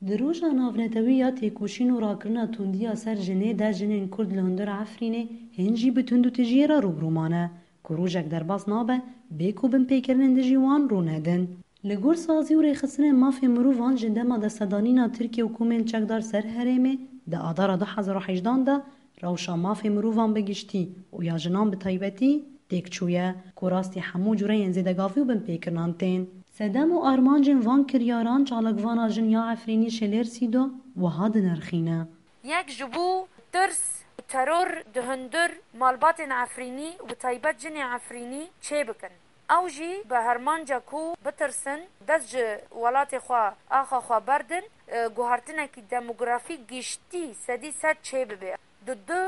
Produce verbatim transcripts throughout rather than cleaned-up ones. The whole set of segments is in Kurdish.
Di roja navnetewî ya têkoşîn û rakirina tundiya ser jinê de jinên Kurd li hundir Efrînê hên jî bi tund û tijiyê re rûbirû mane, ku rojek derbas nabe bê ku binpêkirinên dijî wan rû nedin. Li gor sazî û rêxistinên mafê mirovan ji dema destedanîna Tirkiye û komên çekdar ser herêmê di adara du hezar û hejdan de rewşa mafê mirovan bi giştî û ya jinan bi taybetî têk çûye, ku rastî hemû cureyên zêdegavî û binpêkirinan tên. Sedem û armancên van kiryaran çalakvana jin ya Efrînî Şelêr Sîdo wiha dinirxîne. Yek ji bo tirs û teror di hundir malbatên Efrînî û bi taybet jinê Efrînî çêbikin. Ew jî bi armanca ku bitirsin, dest ji welatê xwe, axa xwe berdin, e, guhartinekî demografîk giştî sedî sed çêbibe. Di du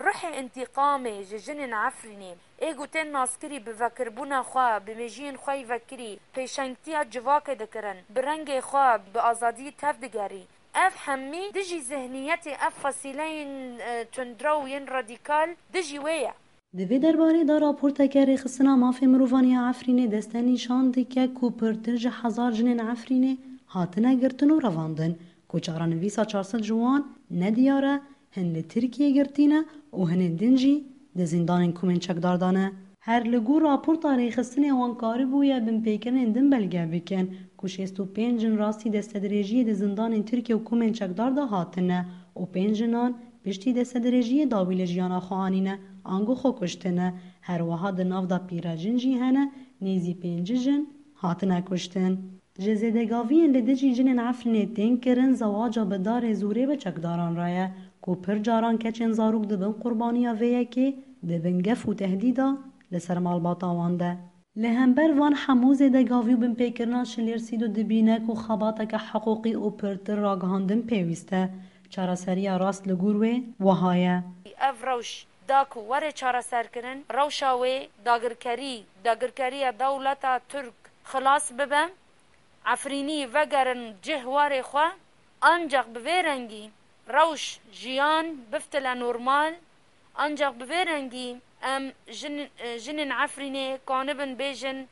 ruhê întîqamê ji jinên Efrînê, ê ku tên naskirî bi vekirbûna xwe, bi mêjiyên xwe yî vekirî, pêşengtiya civakê dikirin, bi rengê xwe, bi azadiyî tev digerî. Ev hemî dijî zihniyetê ev fasîleyên, e, tundrew yên radîkal dijî wê ye. Di vê derbarê de raporteke Rêxistina Mafê Mirovan ya Efrînê deste nîşan dike ku pirtir ji hezar jinên Efrînê hatine girtin û revandin, ku çarenivîsa çar sed ji wan nediyar e, hin li Tirkiyê girtî ne û hinên din jî di zîndanên komên çekdar de ne. Her li gor raporta rêxistinê wan karibûye binpêkirinên din belge bikin ku şêst û pênc jin rastî destedirêjiyê di zindanên Tirkiye û komên çekdar de hatine û pênc jinan piştî destedirêjiyê dawî li jiyana xwe anîne, ango xwe kuştine. Her wiha di nav de pîrejin jî hene, nêzî pêncî jin hatine kuştin. Ji zêdegaviyên li dijî jinên Efrînê tên kirin, zewaca bi darê zorê bi çekdaran re ye, ku pir caran keçên zarok dibin qurbaniya vê yekê, dibin gef û tehdîda li ser malbata wan de. Li hember van hemû zêdegavî û binpêkirina Şilêr Sîdo dibîne ku xebateke hiqûqî û pirtir ragihandin pêwîst e. Çareseriya rast li gor wê wiha ye. Ev rewş da ku were çareserkirin, rewşa wê dagirkerî, dagirkeriya dewleta Tirk xilas bibe, Efrînî vegerin cih warê xwe, ancaq bi vê rengî rewş, jiyan biftile normal, ancaq bi vê rengî em jin-, jinên Efrînê kanibin bêjin,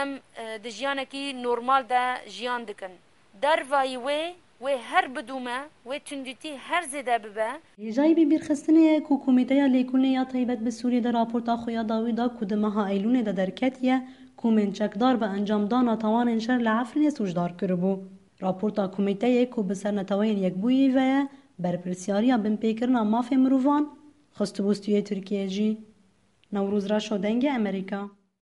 em, e, di jiyanekî normal de jiyan dikin. Dervayî wê, wê her bidûme, wê tundîtî her zêde bibe. Hêjayî bibîrxistinê ye ku Komîteya Lêkolînê ya Taybet bi Sûriyê de raporta xwe ya dawî da ku di meha Eylûnê de derketiye, komên çekdar bi encamdana tawanên şer li Efrînê sûcdar kiribû. Raporta Komîteyê ku bi ser Neteweyên Yekbûyî ve ye, berpirsyariya binpêkirina mafê mirovan xistibû stûyê Tirkiyê jî. Newroz Reşo, Dengê Amerîka.